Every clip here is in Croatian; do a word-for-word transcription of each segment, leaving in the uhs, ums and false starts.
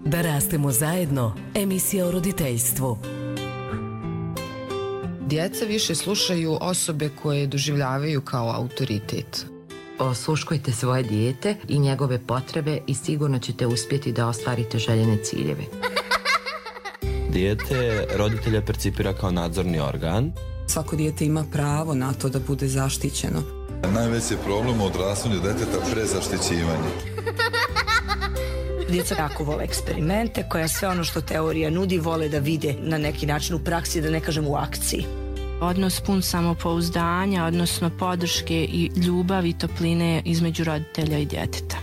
Da rastemo zajedno, emisija o roditeljstvu. Djeca više slušaju osobe koje doživljavaju kao autoritet. Osluškujte svoje dijete i njegove potrebe i sigurno ćete uspjeti da ostvarite željene ciljeve. Dijete roditelja percipira kao nadzorni organ. Svako dijete ima pravo na to da bude zaštićeno. Najveći je problem u odrastanju djeteta prezaštićivanje. Djeca jako vole eksperimente, koja sve ono što teorija nudi vole da vide na neki način u praksi, da ne kažem u akciji. Odnos pun samopouzdanja, odnosno podrške i ljubavi i topline između roditelja i djeteta.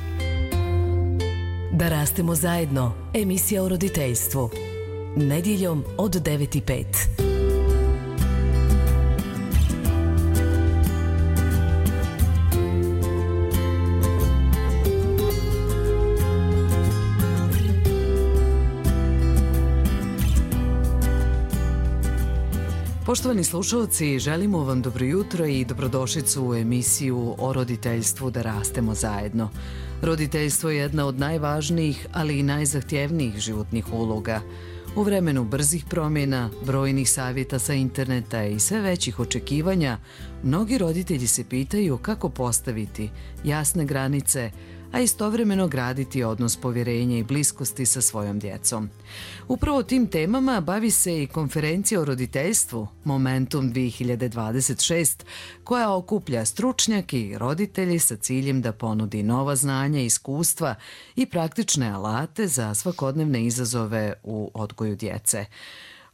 Da rastemo zajedno, emisija o roditeljstvu. Nedjeljom od devet i pet. Poštovani slušalci, želimo vam dobro jutro i dobrodošlicu u emisiju o roditeljstvu Da rastemo zajedno. Roditeljstvo je jedna od najvažnijih, ali i najzahtjevnijih životnih uloga. U vremenu brzih promjena, brojnih savjeta sa interneta i sve većih očekivanja, mnogi roditelji se pitaju kako postaviti jasne granice, a istovremeno graditi odnos povjerenja i bliskosti sa svojom djecom. Upravo tim temama bavi se i konferencija o roditeljstvu Momentum dvije hiljade dvadeset šest, koja okuplja stručnjake i roditelji sa ciljem da ponudi nova znanja, iskustva i praktične alate za svakodnevne izazove u odgoju djece.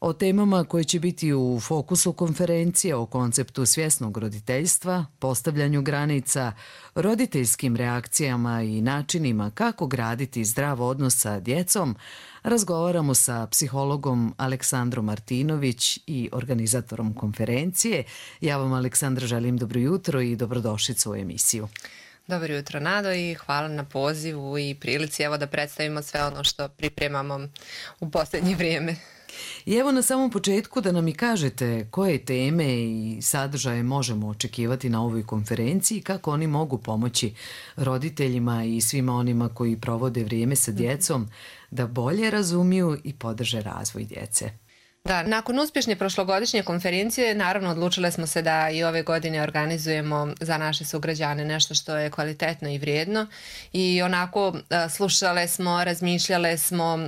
O temama koje će biti u fokusu konferencije, o konceptu svjesnog roditeljstva, postavljanju granica, roditeljskim reakcijama i načinima kako graditi zdrav odnos sa djecom, razgovaramo sa psihologom Aleksandrom Martinović i organizatorom konferencije. Ja vam, Aleksandra, želim dobro jutro i dobrodošlicu u emisiju. Dobro jutro, Nado, i hvala na pozivu i prilici evo da predstavimo sve ono što pripremamo u posljednje vrijeme. I evo na samom početku da nam i kažete koje teme i sadržaje možemo očekivati na ovoj konferenciji i kako oni mogu pomoći roditeljima i svima onima koji provode vrijeme sa djecom da bolje razumiju i podrže razvoj djece. Da, nakon uspješne prošlogodišnje konferencije naravno odlučile smo se da i ove godine organizujemo za naše sugrađane nešto što je kvalitetno i vrijedno i onako slušale smo, razmišljale smo,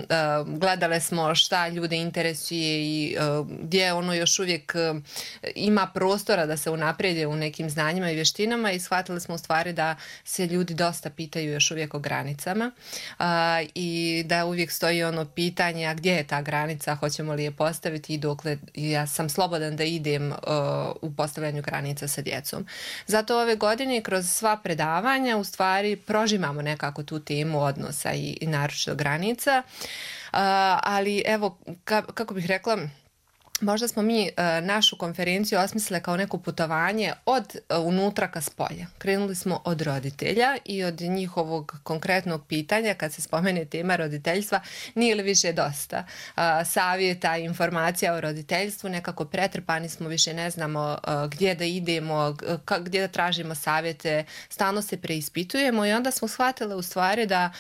gledale smo šta ljude interesuje i gdje ono još uvijek ima prostora da se unaprijede u nekim znanjima i vještinama i shvatili smo u stvari da se ljudi dosta pitaju još uvijek o granicama i da uvijek stoji ono pitanje a gdje je ta granica, hoćemo li je postaviti i dokle ja sam slobodan da idem uh, u postavljanju granica sa djecom. Zato ove godine kroz sva predavanja u stvari prožimamo nekako tu temu odnosa i, i naročito granica, uh, ali evo ka, kako bih rekla, možda smo mi uh, našu konferenciju osmislili kao neko putovanje od uh, unutra ka spolja. Krenuli smo od roditelja i od njihovog konkretnog pitanja kad se spomene tema roditeljstva, nije li više dosta uh, savjeta i informacija o roditeljstvu, nekako pretrpani smo, više ne znamo uh, gdje da idemo, k- gdje da tražimo savjete, stalno se preispitujemo i onda smo shvatili u stvari da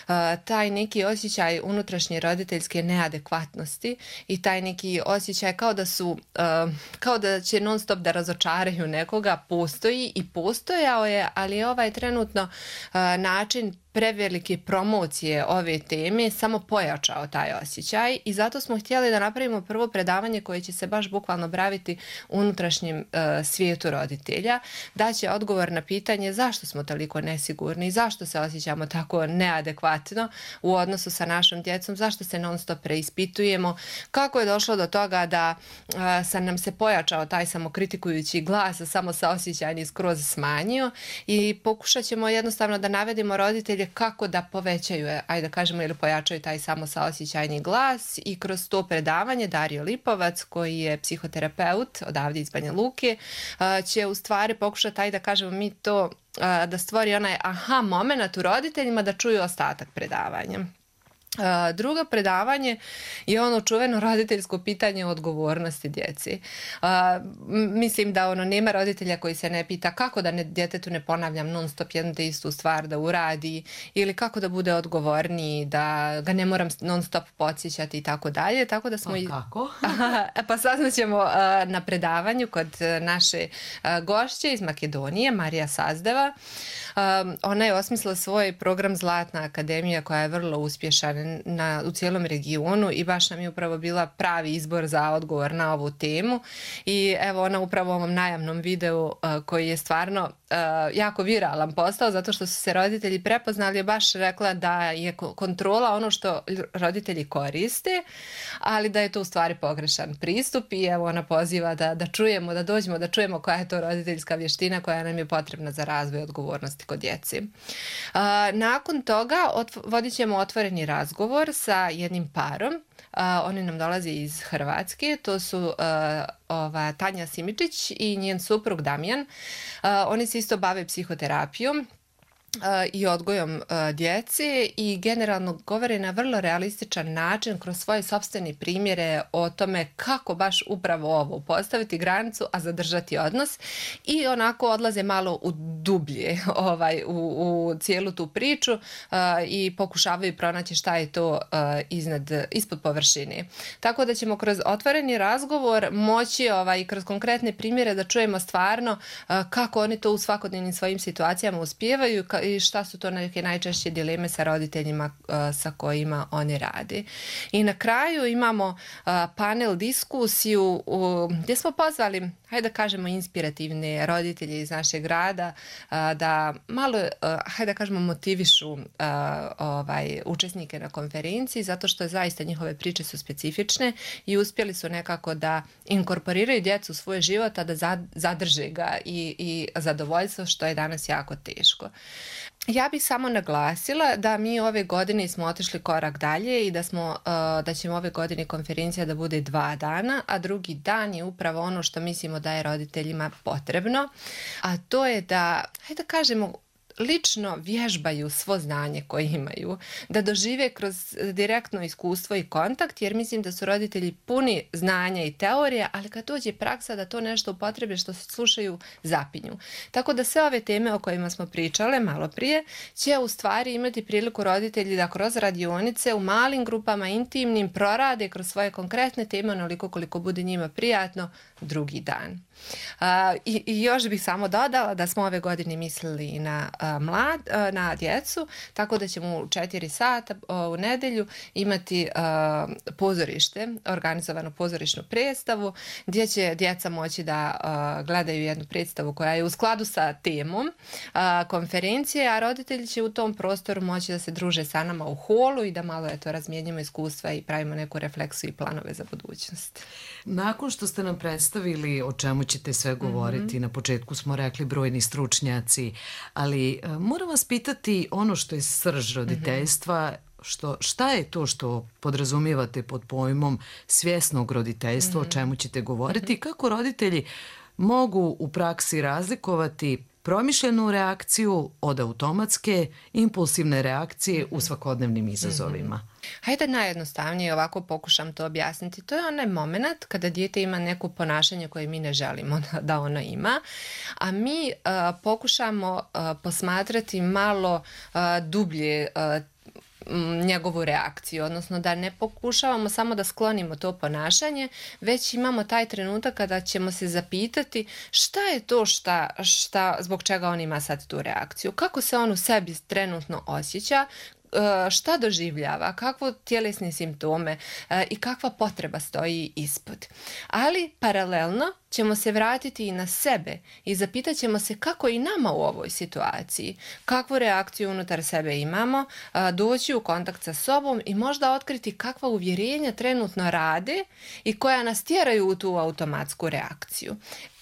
uh, taj neki osjećaj unutrašnje roditeljske neadekvatnosti i taj neki osjećaj kao da su, uh, kao da će non stop da razočaraju nekoga, postoji i postojao je, ali ovaj trenutno uh, način prevelike promocije ove teme samo pojačao taj osjećaj i zato smo htjeli da napravimo prvo predavanje koje će se baš bukvalno baviti unutrašnjim uh, svijetu roditelja, da će odgovor na pitanje zašto smo toliko nesigurni i zašto se osjećamo tako neadekvatno u odnosu sa našom djecom, zašto se non stop preispitujemo, kako je došlo do toga da uh, sam nam se pojačao taj samokritikujući glas, samo saosjećajni skroz smanjio i pokušat ćemo jednostavno da navedemo roditelje kako da povećaju, ajde da kažemo, ili pojačaju taj samo saosjećajni glas i kroz to predavanje Dario Lipovac, koji je psihoterapeut odavdje iz Banja Luke, će u stvari pokušati, ajde da kažemo mi to, da stvori onaj aha moment u roditeljima da čuju ostatak predavanja. Uh, drugo predavanje je ono čuveno roditeljsko pitanje o odgovornosti djeci. Uh, mislim da ono nema roditelja koji se ne pita kako da ne, djetetu ne ponavljam non stop jednu te istu stvar da uradi ili kako da bude odgovorniji, da ga ne moram non stop podsjećati i tako dalje. Tako da smo pa kako? I... pa saznaćemo uh, na predavanju kod naše uh, gošće iz Makedonije, Marija Sazdeva. Um, ona je osmislila svoj program Zlatna akademija koja je vrlo uspješan na, u cijelom regionu i baš nam je upravo bila pravi izbor za odgovor na ovu temu i evo ona upravo u ovom najavnom videu uh, koji je stvarno uh, jako viralan postao zato što su se roditelji prepoznali, je baš rekla da je kontrola ono što roditelji koriste, ali da je to u stvari pogrešan pristup i evo ona poziva da, da čujemo, da dođemo, da čujemo koja je to roditeljska vještina koja nam je potrebna za razvoj odgovornosti kod djeci. Uh, nakon toga otv- vodit ćemo otvoreni razgovor sa jednim parom. Uh, oni nam dolaze iz Hrvatske, to su uh, ova, Tanja Simičić i njen suprug Damjan. Uh, oni se isto bave psihoterapijom i odgojom djece i generalno govore na vrlo realističan način kroz svoje sopstvene primjere o tome kako baš upravo ovo postaviti granicu, a zadržati odnos i onako odlaze malo u dublje ovaj, u, u cijelu tu priču uh, i pokušavaju pronaći šta je to uh, iznad, ispod površine. Tako da ćemo kroz otvoreni razgovor moći ovaj, kroz konkretne primjere da čujemo stvarno uh, kako oni to u svakodnevnim svojim situacijama uspijevaju i šta su to neke najčešće dileme sa roditeljima uh, sa kojima oni rade. I na kraju imamo uh, panel diskusiju uh, gdje smo pozvali, hajde da kažemo, inspirativne roditelje iz našeg grada uh, da malo, uh, hajde da kažemo, motivišu uh, ovaj, učesnike na konferenciji zato što zaista njihove priče su specifične i uspjeli su nekako da inkorporiraju djecu u svoj život, a da zadrže ga i, i zadovoljstvo, što je danas jako teško. Ja bih samo naglasila da mi ove godine smo otišli korak dalje i da, smo, uh, da ćemo ove godine konferencija da bude dva dana, a drugi dan je upravo ono što mislimo da je roditeljima potrebno, a to je da, hajde da kažemo, lično vježbaju svo znanje koje imaju, da dožive kroz direktno iskustvo i kontakt, jer mislim da su roditelji puni znanja i teorije, ali kad dođe praksa da to nešto upotrebe što se slušaju, zapinju. Tako da sve ove teme o kojima smo pričale malo prije će u stvari imati priliku roditelji da kroz radionice u malim grupama, intimnim, prorade kroz svoje konkretne teme onoliko koliko bude njima prijatno drugi dan. Uh, i, i još bih samo dodala da smo ove godine mislili na uh, mlad, uh, na djecu, tako da ćemo u četiri sata uh, u nedelju imati uh, pozorište, organizovanu pozorišnu predstavu gdje će djeca moći da uh, gledaju jednu predstavu koja je u skladu sa temom uh, konferencije, a roditelji će u tom prostoru moći da se druže sa nama u holu i da malo eto razmijenimo iskustva i pravimo neku refleksiju i planove za budućnost. Nakon što ste nam predstavili o čemu ćete sve govoriti, mm-hmm. na početku smo rekli brojni stručnjaci, ali uh, moram vas pitati ono što je srž roditeljstva, mm-hmm. što, šta je to što podrazumijevate pod pojmom svjesnog roditeljstva, mm-hmm. o čemu ćete govoriti, mm-hmm. kako roditelji mogu u praksi razlikovati promišljenu reakciju od automatske, impulsivne reakcije u svakodnevnim izazovima. Mm-hmm. Hajde najjednostavnije ovako pokušam to objasniti. To je onaj moment kada dijete ima neko ponašanje koje mi ne želimo da ono ima, a mi uh, pokušamo uh, posmatrati malo uh, dublje uh, njegovu reakciju, odnosno da ne pokušavamo samo da sklonimo to ponašanje, već imamo taj trenutak kada ćemo se zapitati šta je to šta, šta, zbog čega on ima sad tu reakciju, kako se on u sebi trenutno osjeća, šta doživljava, kakve tjelesne simptome i kakva potreba stoji ispod. Ali paralelno ćemo se vratiti i na sebe i zapitat ćemo se kako i nama u ovoj situaciji, kakvu reakciju unutar sebe imamo, doći u kontakt sa sobom i možda otkriti kakva uvjerenja trenutno rade i koja nas tjeraju u tu automatsku reakciju.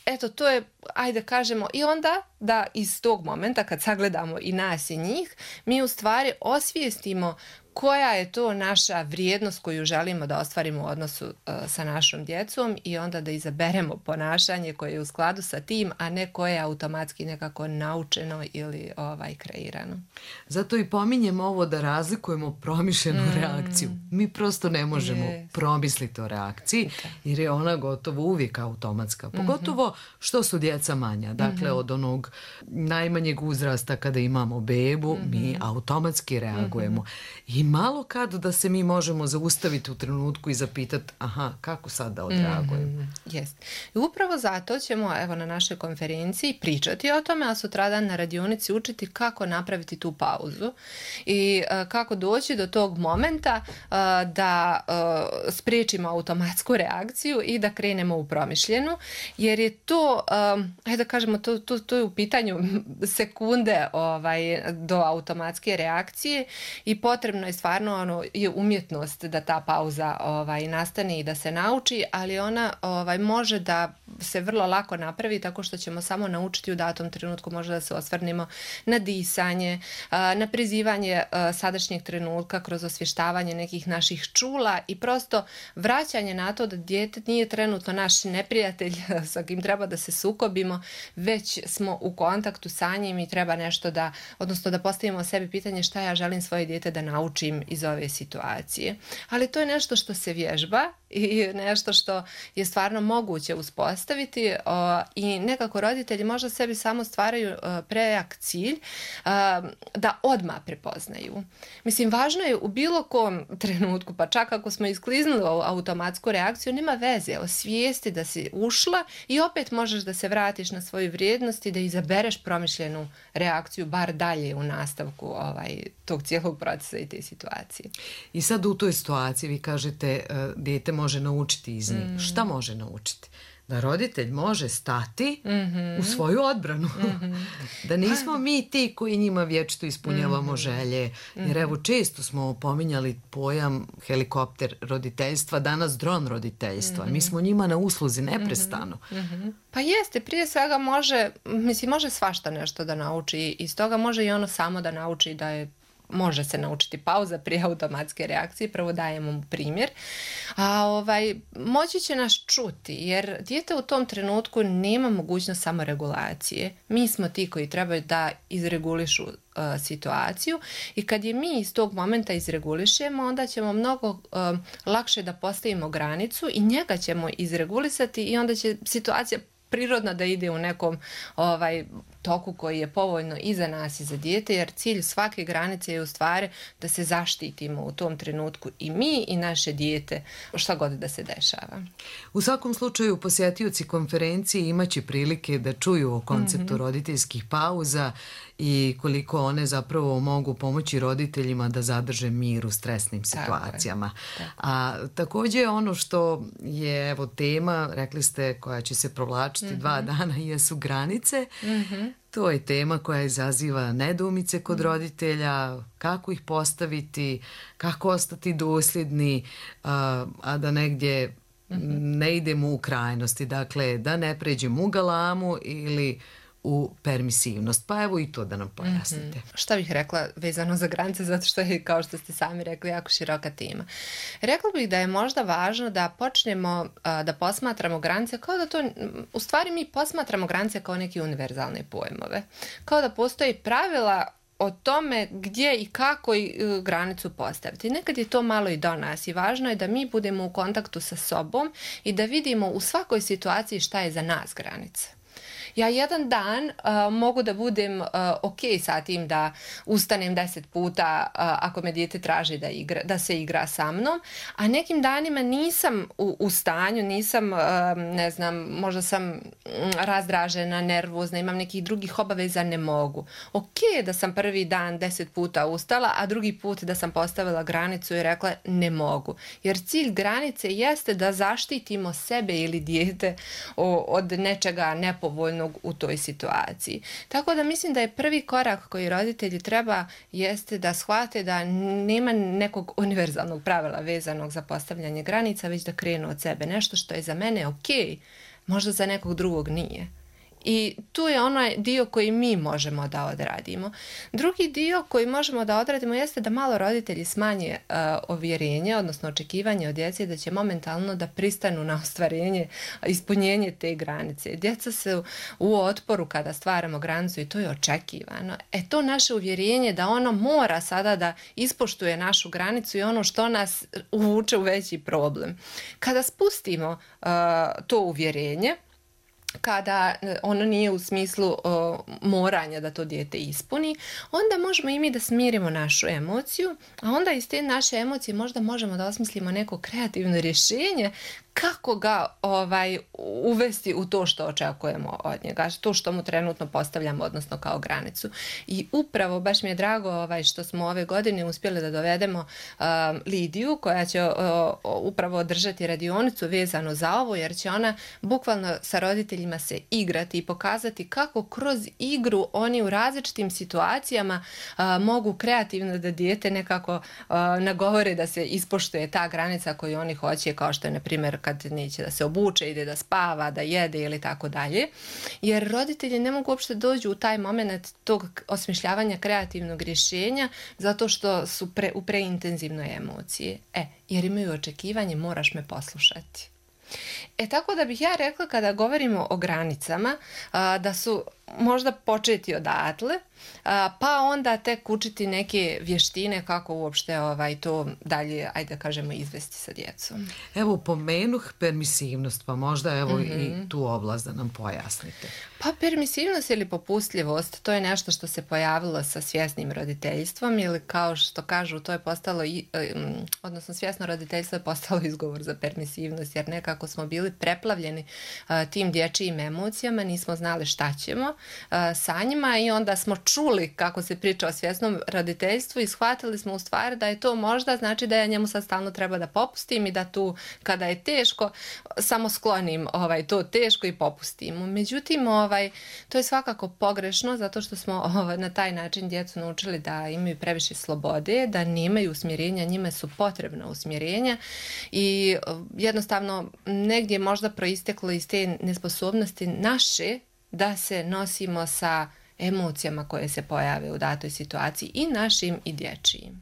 Eto, to je ajde kažemo, i onda da iz tog momenta kad sagledamo i nas i njih, mi u stvari osvijestimo koja je to naša vrijednost koju želimo da ostvarimo u odnosu uh, sa našom djecom i onda da izaberemo ponašanje koje je u skladu sa tim, a ne koje je automatski nekako naučeno ili ovaj, kreirano. Zato i pominjem ovo da razlikujemo promišljenu mm. reakciju. Mi prosto ne možemo yes. promisliti o reakciji jer je ona gotovo uvijek automatska. Pogotovo što su djeca manja. Dakle, mm-hmm. od onog najmanjeg uzrasta kada imamo bebu, mm-hmm. mi automatski reagujemo. I malo kad da se mi možemo zaustaviti u trenutku i zapitati aha, kako sad da odreagujemo. Mm, jest. I upravo zato ćemo evo na našoj konferenciji pričati o tome, a sutradan na radionici učiti kako napraviti tu pauzu i uh, kako doći do tog momenta uh, da uh, spriječimo automatsku reakciju i da krenemo u promišljenu, jer je to, um, ajde da kažemo, to, to, to je u pitanju sekunde ovaj, do automatske reakcije i potrebno je stvarno ono, je umjetnost da ta pauza ovaj, nastane i da se nauči, ali ona ovaj, može da se vrlo lako napravi tako što ćemo samo naučiti u datom trenutku možda da se osvrnemo na disanje, na prizivanje sadašnjeg trenutka kroz osvještavanje nekih naših čula i prosto vraćanje na to da dijete nije trenutno naš neprijatelj sa kim treba da se sukobimo, već smo u kontaktu sa njim i treba nešto da, odnosno da postavimo sebi pitanje šta ja želim svoje dijete da naučim iz ove situacije. Ali to je nešto što se vježba i nešto što je stvarno moguće uspostaviti o, i nekako roditelji možda sebi samo stvaraju o, prejak cilj o, da odmah prepoznaju. Mislim, važno je u bilo kom trenutku, pa čak ako smo iskliznuli u automatsku reakciju, nema veze, osvijesti da si ušla i opet možeš da se vratiš na svoju vrijednost i da izabereš promišljenu reakciju bar dalje u nastavku ovaj, tog cijelog procesa i te situacije. I sad u toj situaciji vi kažete uh, dijete može naučiti iz njih. Mm. Šta može naučiti? Da roditelj može stati mm-hmm. u svoju odbranu. Mm-hmm. Da nismo mi ti koji njima vječito ispunjavamo mm-hmm. želje. Jer evo često smo pominjali pojam helikopter roditeljstva, danas dron roditeljstva. Mm-hmm. Mi smo njima na usluzi neprestano. Mm-hmm. Pa jeste, prije svega može, mislim, može svašta nešto da nauči i stoga može i ono samo da nauči da je može se naučiti pauza prije automatske reakcije, prvo dajemo mu primjer, a ovaj, moći će nas čuti, jer dijete u tom trenutku nema mogućnost samoregulacije. Mi smo ti koji trebaju da izregulišu uh, situaciju i kad je mi iz tog momenta izregulišemo, onda ćemo mnogo uh, lakše da postavimo granicu i njega ćemo izregulisati i onda će situacija prirodno da ide u nekom ovaj, toku koji je povoljno i za nas i za dijete, jer cilj svake granice je u stvari da se zaštitimo u tom trenutku i mi i naše dijete, šta god da se dešava. U svakom slučaju posjetioci konferencije imaće prilike da čuju o konceptu mm-hmm. roditeljskih pauza i koliko one zapravo mogu pomoći roditeljima da zadrže mir u stresnim situacijama. Tako je. A također ono što je evo tema, rekli ste, koja će se provlačiti mm-hmm. dva dana, jesu granice. Mm-hmm. To je tema koja izaziva nedoumice kod roditelja, kako ih postaviti, kako ostati dosljedni, a, a da negdje mm-hmm. ne idemo u krajnosti. Dakle, da ne pređemo u galamu ili u permisivnost. Pa evo i to da nam pojasnite. Mm-hmm. Šta bih rekla vezano za granice, zato što je, kao što ste sami rekli, jako široka tema. Rekla bih da je možda važno da počnemo a, da posmatramo granice kao da to, u stvari mi posmatramo granice kao neke univerzalne pojmove. Kao da postoji pravila o tome gdje i kako i uh, granicu postaviti. Nekad je to malo i do nas i važno je da mi budemo u kontaktu sa sobom i da vidimo u svakoj situaciji šta je za nas granica. Ja jedan dan uh, mogu da budem uh, ok sa tim da ustanem deset puta uh, ako me dijete traži da, igra, da se igra sa mnom, a nekim danima nisam u, u stanju, nisam, uh, ne znam, možda sam um, razdražena, nervozna, imam nekih drugih obaveza, ne mogu. Ok da sam prvi dan deset puta ustala, a drugi put da sam postavila granicu i rekla ne mogu. Jer cilj granice jeste da zaštitimo sebe ili dijete od nečega nepovoljnog u toj situaciji. Tako da mislim da je prvi korak koji roditelji treba jeste da shvate da nema nekog univerzalnog pravila vezanog za postavljanje granica, već da krenu od sebe. Nešto što je za mene ok, možda za nekog drugog nije. I tu je onaj dio koji mi možemo da odradimo. Drugi dio koji možemo da odradimo jeste da malo roditelji smanje uh, ovjerenje, odnosno očekivanje od djece da će momentalno da pristanu na ostvarenje, ispunjenje te granice. Djeca se u otporu kada stvaramo granicu i to je očekivano. E to naše uvjerenje da ono mora sada da ispoštuje našu granicu i ono što nas uvuče u veći problem. Kada spustimo uh, to uvjerenje, kada ono nije u smislu uh, moranja da to dijete ispuni, onda možemo i mi da smirimo našu emociju, a onda iz te naše emocije možda možemo da osmislimo neko kreativno rješenje kako ga ovaj, uvesti u to što očekujemo od njega, to što mu trenutno postavljamo, odnosno kao granicu. I upravo, baš mi je drago ovaj, što smo ove godine uspjeli da dovedemo uh, Lidiju, koja će uh, upravo održati radionicu vezano za ovo, jer će ona bukvalno sa roditeljima se igrati i pokazati kako kroz igru oni u različitim situacijama uh, mogu kreativno da dijete nekako uh, nagovore da se ispoštuje ta granica koju oni hoće, kao što je, na primjer, kad neće da se obuče, ide da spava, da jede ili tako dalje. Jer roditelji ne mogu uopšte dođu u taj moment tog osmišljavanja kreativnog rješenja zato što su pre, u preintenzivnoj emociji. E, jer imaju očekivanje, moraš me poslušati. E tako da bih ja rekla kada govorimo o granicama a, da su možda početi odatle, a, pa onda tek učiti neke vještine kako uopšte ovaj, to dalje, ajde da kažemo, izvesti sa djecom. Evo, pomenuh permisivnost, pa možda evo mm-hmm. i tu oblast da nam pojasnite. Pa permisivnost ili popustljivost, to je nešto što se pojavilo sa svjesnim roditeljstvom ili kao što kažu, to je postalo, odnosno svjesno roditeljstvo je postalo izgovor za permisivnost, jer nekako smo bili preplavljeni a, tim dječjim emocijama, nismo znali šta ćemo a, sa njima i onda smo čuli kako se priča o svjesnom roditeljstvu i shvatili smo u stvari da je to možda znači da ja njemu sad stalno treba da popustim i da tu kada je teško samo sklonim ovaj, to teško i popustim. Međutim, ovaj, to je svakako pogrešno zato što smo ovaj, na taj način djecu naučili da imaju previše slobode, da nemaju usmjerenja, njima su potrebna usmjerenja i jednostavno negdje možda proisteklo iz te nesposobnosti naše da se nosimo sa emocijama koje se pojave u datoj situaciji i našim i dječjim.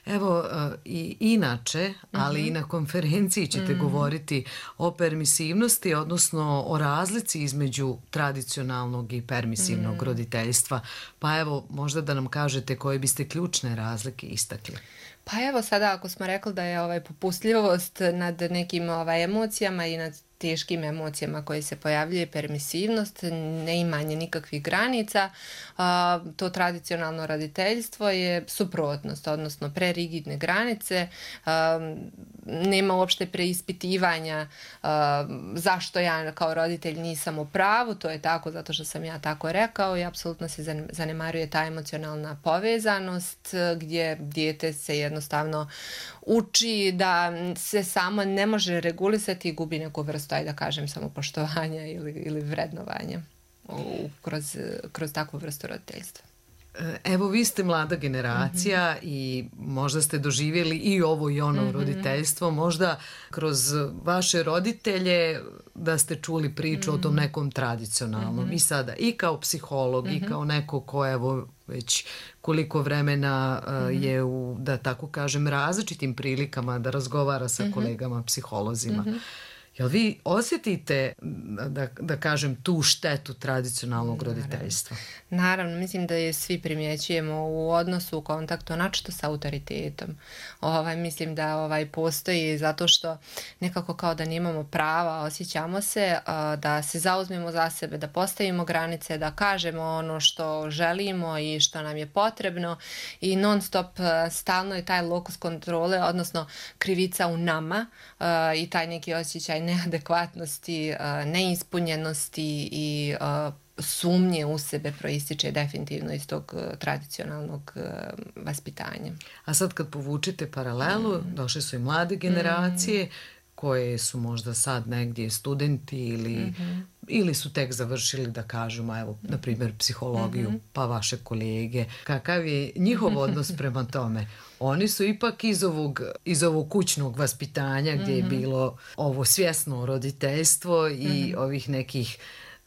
Evo, i inače, ali mm-hmm. i na konferenciji ćete mm-hmm. govoriti o permisivnosti, odnosno o razlici između tradicionalnog i permisivnog mm-hmm. roditeljstva. Pa evo, možda da nam kažete koje biste ključne razlike istakli. Pa evo sada ako smo rekli da je ovaj popustljivost nad nekim ovaj emocijama i nad teškim emocijama koje se pojavljuje, permisivnost, neimanje nikakvih granica, a, to tradicionalno roditeljstvo je suprotnost, odnosno prerigidne granice, a, nema uopšte preispitivanja a, zašto ja kao roditelj nisam u pravu, to je tako zato što sam ja tako rekao i apsolutno se zanemaruje ta emocionalna povezanost gdje dijete se jednostavno uči da se samo ne može regulisati i gubi neku vrstu, ajde da kažem, samopoštovanja ili, ili vrednovanja u, kroz, kroz takvu vrstu roditeljstva. Evo, vi ste mlada generacija mm-hmm. i možda ste doživjeli i ovo i ono mm-hmm. roditeljstvo, možda kroz vaše roditelje da ste čuli priču mm-hmm. o tom nekom tradicionalnom mm-hmm. i sada i kao psiholog mm-hmm. i kao neko ko evo već koliko vremena uh, mm-hmm. je u, da tako kažem, različitim prilikama da razgovara sa mm-hmm. kolegama psiholozima. Mm-hmm. Jel vi osjetite, da, da kažem, tu štetu tradicionalnog Naravno. roditeljstva? Naravno, mislim da je svi primjećujemo u odnosu, u kontaktu, načito sa autoritetom. Ovaj, mislim da ovaj, postoji zato što nekako kao da nemamo prava, osjećamo se, da se zauzmemo za sebe, da postavimo granice, da kažemo ono što želimo i što nam je potrebno i non stop stalno je taj lokus kontrole, odnosno krivica u nama i taj neki osjećaj neadekvatnosti, neispunjenosti i sumnje u sebe proističe definitivno iz tog tradicionalnog vaspitanja. A sad kad povučete paralelu, mm. došle su i mlade generacije mm. koje su možda sad negdje studenti ili, mm-hmm. ili su tek završili, da kažemo, evo, na primjer, psihologiju, mm-hmm. pa vaše kolege. Kakav je njihov odnos prema tome? Oni su ipak iz ovog, iz ovog kućnog vaspitanja gdje mm-hmm. je bilo ovo svjesno roditeljstvo i mm-hmm. ovih nekih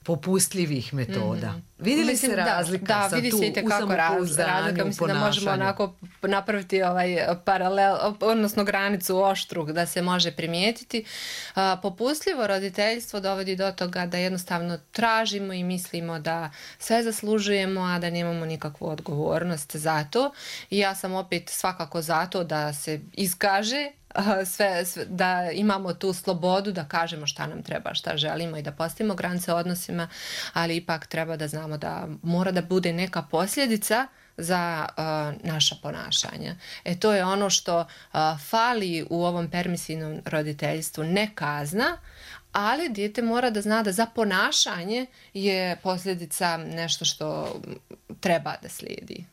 popustljivih metoda. Mm-hmm. Vidi li mislim, se razlika da, da, sad vidi tu se u razlika, mislim da možemo onako napraviti ovaj paralel, odnosno granicu oštru da se može primijetiti. A, popustljivo roditeljstvo dovodi do toga da jednostavno tražimo i mislimo da sve zaslužujemo, a da nemamo nikakvu odgovornost za to. I ja sam opet svakako za to da se iskaže Sve, sve, da imamo tu slobodu da kažemo šta nam treba, šta želimo i da postavimo granice odnosima, ali ipak treba da znamo da mora da bude neka posljedica za uh, naša ponašanja. E to je ono što uh, fali u ovom permisivnom roditeljstvu, ne kazna, ali dijete mora da zna da za ponašanje je posljedica nešto što treba da slijedi.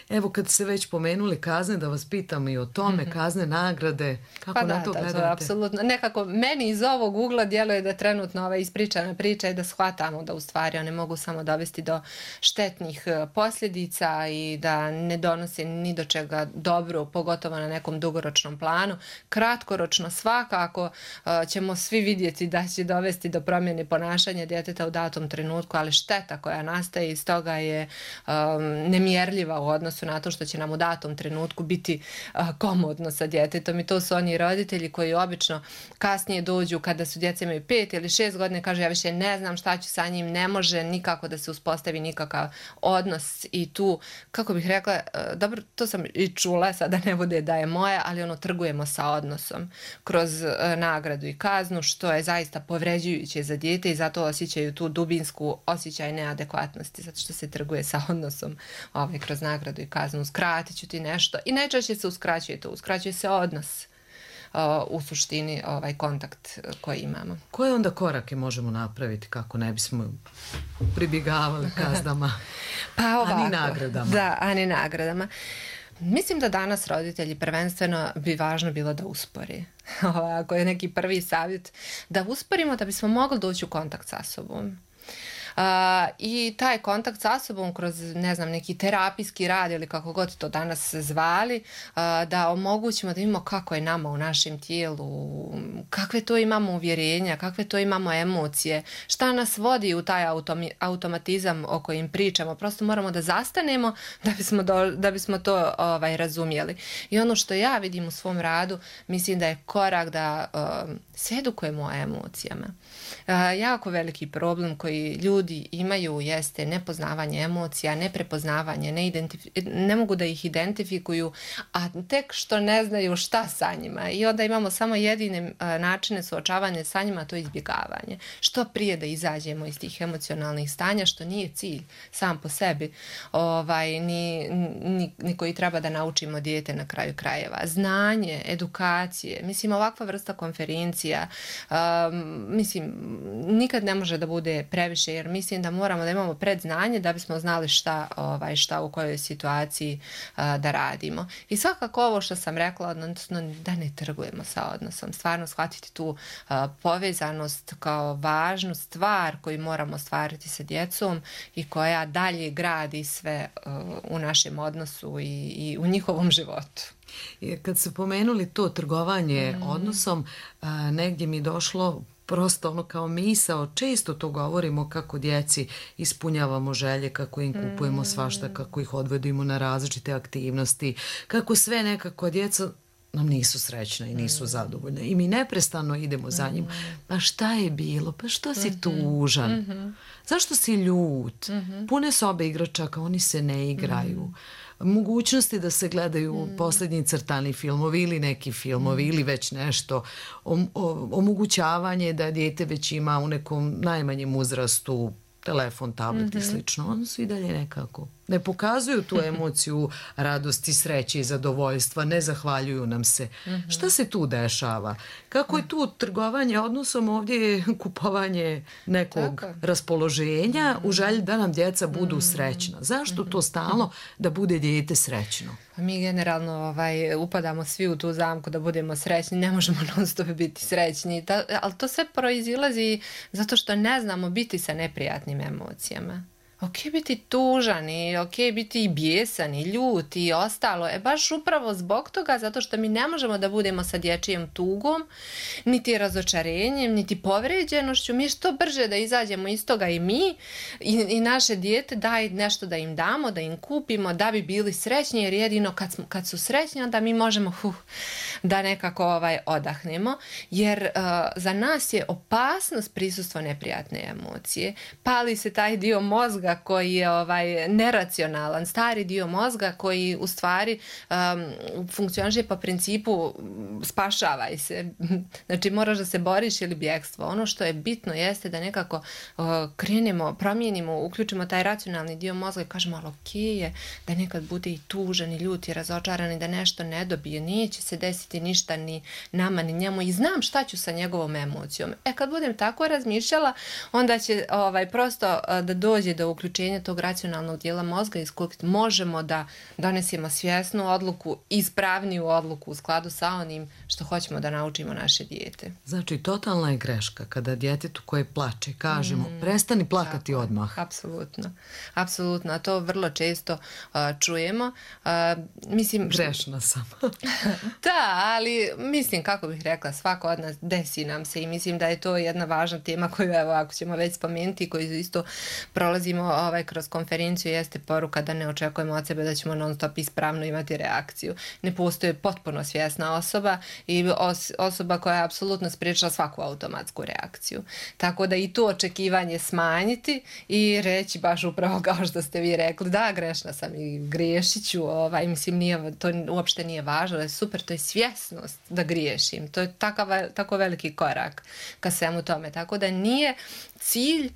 Evo kad se već pomenuli kazne, da vas pitam i o tome, mm-hmm. kazne, nagrade, kako pa na da, to da, gledate? To je apsolutno. Nekako meni iz ovog ugla djeluje da trenutno ova ispričana priča i da shvatamo da u stvari one mogu samo dovesti do štetnih posljedica i da ne donose ni do čega dobro, pogotovo na nekom dugoročnom planu. Kratkoročno svakako uh, ćemo svi vidjeti da će dovesti do promjene ponašanja djeteta u datom trenutku, ali šteta koja nastaje iz toga je um, nemjerljiva u odnosu na to što će nam u datom trenutku biti uh, komodno sa djetetom i to su oni roditelji koji obično kasnije dođu kada su djeca imaju pet ili šest godine, kažu ja više ne znam šta ću sa njim, ne može nikako da se uspostavi nikakav odnos i tu, kako bih rekla, uh, dobro, to sam i čula, sada ne bude da je moje, ali ono trgujemo sa odnosom kroz uh, nagradu i kaznu, što je zaista povređujuće za dijete i zato osjećaju tu dubinsku osjećaj neadekvatnosti, zato što se trguje sa odnosom ovaj, kroz nagradu i kaznu. Uskratit ću ti nešto i najčešće se uskraćuje to, uskraćuje se odnos uh, u suštini ovaj kontakt koji imamo. Koje onda korake možemo napraviti kako ne bismo pribjegavali kaznama, pa ovako, a ni nagradama? Da, a ni nagradama. Mislim da danas roditelji prvenstveno bi važno bilo da uspori. Ako je neki prvi savjet, da usporimo da bismo mogli doći u kontakt sa sobom. Uh, i taj kontakt sa sobom kroz, ne znam, neki terapijski rad ili kako god to danas zvali, uh, da omogućimo da imamo kako je nama u našem tijelu, kakve to imamo uvjerenja, kakve to imamo emocije, šta nas vodi u taj automi, automatizam o kojim pričamo. Prosto moramo da zastanemo da bismo, do, da bismo to ovaj, razumjeli. I ono što ja vidim u svom radu, mislim da je korak da uh, se edukujemo o emocijama. Uh, jako veliki problem koji ljudi imaju jeste nepoznavanje emocija, neprepoznavanje, ne, identifi- ne mogu da ih identifikuju, a tek što ne znaju šta sa njima. I onda imamo samo jedine uh, načine suočavanja sa njima, to je izbjegavanje. Što prije da izađemo iz tih emocionalnih stanja, što nije cilj sam po sebi, ovaj, ni, ni, ni koji treba da naučimo dijete na kraju krajeva. Znanje, edukacije, mislim ovakva vrsta konferencija, um, mislim, nikad ne može da bude previše, jer mislim da moramo da imamo predznanje da bismo znali šta, ovaj, šta u kojoj situaciji uh, da radimo. I svakako ovo što sam rekla, odnosno da ne trgujemo sa odnosom, stvarno shvatiti tu uh, povezanost kao važnu stvar koju moramo stvariti sa djecom i koja dalje gradi sve uh, u našem odnosu i, i u njihovom životu. Kad ste pomenuli to trgovanje mm. odnosom, uh, negdje mi došlo prosto ono kao misao, često to govorimo kako djeci ispunjavamo želje, kako im kupujemo svašta, kako ih odvedimo na različite aktivnosti, kako sve nekako djeca nam nisu srećna i nisu zadovoljne. I mi neprestano idemo za njim. Pa šta je bilo? Pa što si tužan? Zašto si ljut? Pune sobe igračaka, oni se ne igraju. Mogućnosti da se gledaju mm. posljednji crtani filmovi ili neki filmovi mm. ili već nešto. O, o, omogućavanje da dijete već ima u nekom najmanjem uzrastu telefon, tablet mm-hmm. i slično. Oni su i dalje nekako ne pokazuju tu emociju radosti, sreće i zadovoljstva, ne zahvaljuju nam se. Mm-hmm. Šta se tu dešava? Kako je tu trgovanje odnosom? Ovdje je kupovanje nekog Tako. raspoloženja mm-hmm. u želji da nam djeca budu mm-hmm. srećna. Zašto mm-hmm. to stalno da bude dijete srećno? Mi generalno ovaj, upadamo svi u tu zamku da budemo srećni, ne možemo non stop biti srećni, da, ali to sve proizilazi zato što ne znamo biti sa neprijatnim emocijama. ok biti tužan i ok biti i bijesan i ljut i ostalo. E baš upravo zbog toga, zato što mi ne možemo da budemo sa dječjim tugom, niti razočarenjem, niti povređenošću. Mi što brže da izađemo iz toga i mi i, i naše dijete, daj nešto da im damo, da im kupimo, da bi bili srećni, jer jedino kad, smo, kad su srećni, onda mi možemo huh, da nekako ovaj, odahnemo, jer uh, za nas je opasnost prisustvo neprijatne emocije. Pali se taj dio mozga koji je ovaj, neracionalan, stari dio mozga koji u stvari um, funkcioniše po principu spašavaj se. Znači moraš da se boriš ili bjegstvo. Ono što je bitno jeste da nekako uh, krenemo, promijenimo, uključimo taj racionalni dio mozga i kažemo, ali ok je da nekad bude i tužan i ljut i razočaran i da nešto ne dobije. Neće se desiti ništa ni nama ni njemu i znam šta ću sa njegovom emocijom. E kad budem tako razmišljala, onda će ovaj, prosto uh, da dođe do uključenja tog racionalnog dijela mozga iz kojeg možemo da donesemo svjesnu odluku, ispravniju odluku u skladu sa onim što hoćemo da naučimo naše dijete. Znači, totalna je greška kada djetetu koje plače kažemo mm, prestani plakati tako, odmah. Apsolutno. Apsolutno. A to vrlo često uh, čujemo. Uh, mislim, Grešna sam. Da, ali mislim, kako bih rekla, svako od nas desi nam se i mislim da je to jedna važna tema koju, evo, ako ćemo već spomenuti, koju isto prolazimo ovaj, kroz konferenciju, jeste poruka da ne očekujemo od sebe da ćemo non stop ispravno imati reakciju. Ne postoji potpuno svjesna osoba i os- osoba koja je apsolutno spriječila svaku automatsku reakciju. Tako da i to očekivanje smanjiti i reći baš upravo kao što ste vi rekli, da, grešna sam i griješit ću, ovaj, mislim, nije, to uopšte nije važno, ali super, to je svjesnost da griješim. To je takav, tako veliki korak ka svemu tome. Tako da nije cilj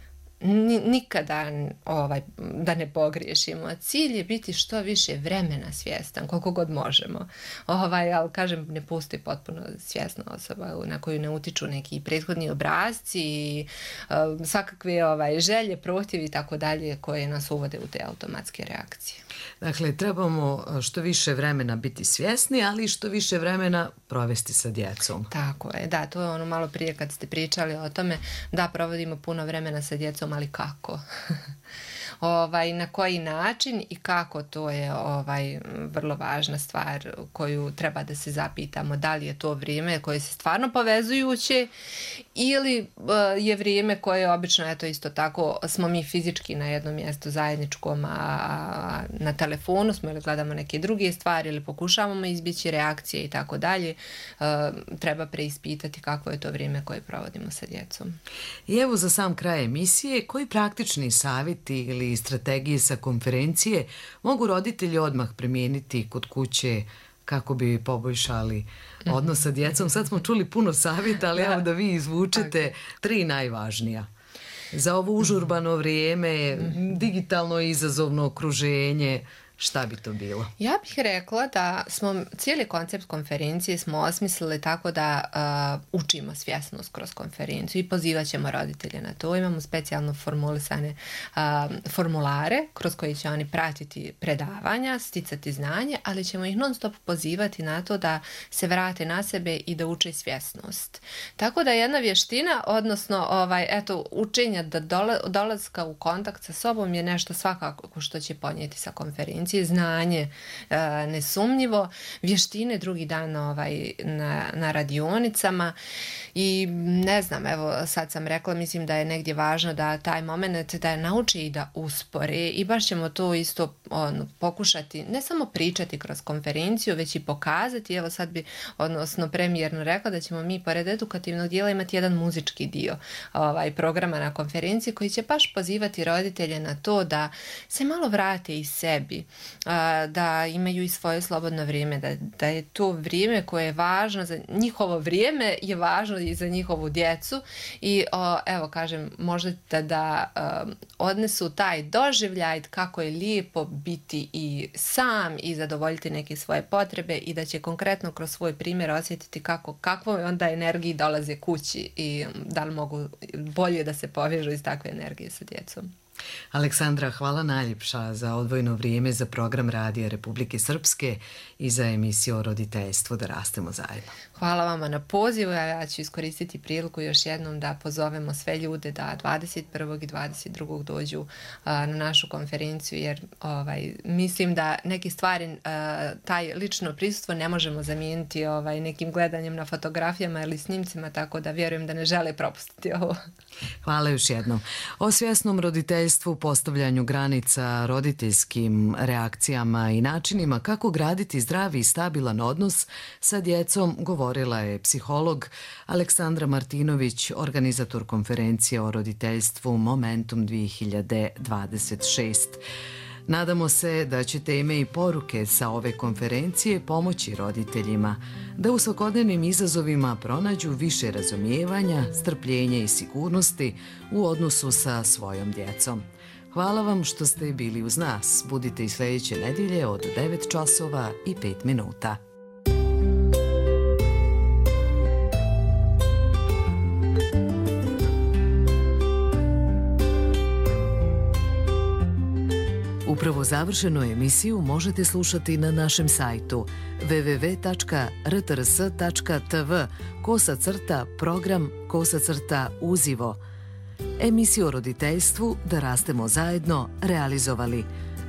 nikada ovaj, da ne pogriješimo. Cilj je biti što više vremena svjestan, koliko god možemo. Ovaj, ali kažem, ne postoji potpuno svjesna osoba na koju ne utiču neki prethodni obrazci i uh, svakakve ovaj, želje, prohtjevi i tako dalje koje nas uvode u te automatske reakcije. Dakle, trebamo što više vremena biti svjesni, ali što više vremena provesti sa djecom. Tako je, da, to je ono malo prije kad ste pričali o tome, da provodimo puno vremena sa djecom, ali kako? Ovaj, na koji način i kako, to je ovaj, vrlo važna stvar koju treba da se zapitamo, da li je to vrijeme koje se stvarno povezujuće ili uh, je vrijeme koje obično, eto isto tako, smo mi fizički na jednom mjestu zajedničkom, a na telefonu smo ili gledamo neke druge stvari ili pokušavamo izbjeći reakcije i tako dalje, treba preispitati kako je to vrijeme koje provodimo sa djecom. I evo za sam kraj emisije, koji praktični savjeti ili strategije sa konferencije mogu roditelji odmah primijeniti kod kuće kako bi poboljšali odnos sa djecom? Sad smo čuli puno savjeta, ali evo da vi izvučete tri najvažnija. Za ovo užurbano vrijeme, digitalno izazovno okruženje, šta bi to bilo? Ja bih rekla da smo cijeli koncept konferencije smo osmislili tako da uh, učimo svjesnost kroz konferenciju i pozivat ćemo roditelje na to. Imamo specijalno formulisane uh, formulare kroz koje će oni pratiti predavanja, sticati znanje, ali ćemo ih non stop pozivati na to da se vrate na sebe i da uče svjesnost. Tako da jedna vještina, odnosno ovaj, eto, učenja da dola, dolazka u kontakt sa sobom je nešto svakako što će ponijeti sa konferencije. Znanje e, nesumnjivo, vještine drugi dan ovaj, na, na radionicama i ne znam, evo sad sam rekla, mislim da je negdje važno da taj moment da je nauči i da uspore i baš ćemo to isto on, pokušati, ne samo pričati kroz konferenciju, već i pokazati. Evo sad bi, odnosno premijerno rekla da ćemo mi pored edukativnog dijela imati jedan muzički dio ovaj, programa na konferenciji koji će baš pozivati roditelje na to da se malo vrate i sebi, da imaju i svoje slobodno vrijeme, da, da je to vrijeme koje je važno za njihovo vrijeme, je važno i za njihovu djecu i o, evo kažem, možda da, da um, odnesu taj doživljaj kako je lijepo biti i sam i zadovoljiti neke svoje potrebe i da će konkretno kroz svoj primjer osjetiti kako, kakvoj onda energiji dolaze kući i da li mogu bolje da se povežu iz takve energije sa djecom. Aleksandra, hvala najljepša za odvojeno vrijeme za program Radija Republike Srpske i za emisiju o roditeljstvu Da rastemo zajedno. Hvala vama na pozivu, a ja ću iskoristiti priliku još jednom da pozovemo sve ljude da dvadeset prvog i dvadeset drugog dođu a, na našu konferenciju, jer ovaj, mislim da neke stvari, a, taj lično prisustvo ne možemo zamijeniti ovaj, nekim gledanjem na fotografijama ili snimcima, tako da vjerujem da ne žele propustiti ovo. Hvala još jednom. O svjesnom roditeljstvu, postavljanju granica, roditeljskim reakcijama i načinima kako graditi zdravi i stabilan odnos sa djecom govorila je psiholog Aleksandra Martinović, organizator konferencije o roditeljstvu Momentum dvije hiljade dvadeset šest. Nadamo se da će teme i poruke sa ove konferencije pomoći roditeljima da u svakodnevnim izazovima pronađu više razumijevanja, strpljenja i sigurnosti u odnosu sa svojom djecom. Hvala vam što ste bili uz nas. Budite i sljedeće nedjelje od devet časova i pet minuta. Upravo završenu emisiju možete slušati na našem sajtu w w w tačka r t r s tačka t v kosa crta program kosa crta uzivo. Emisiju o roditeljstvu Da rastemo zajedno realizovali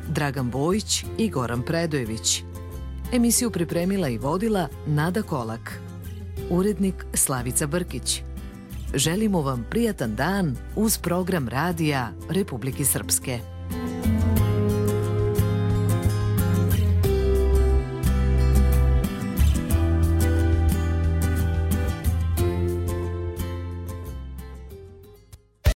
Dragan Bojić i Goran Predojević. Emisiju pripremila i vodila Nada Kolak. Urednik Slavica Brkić. Želimo vam prijatan dan uz program Radija Republike Srpske.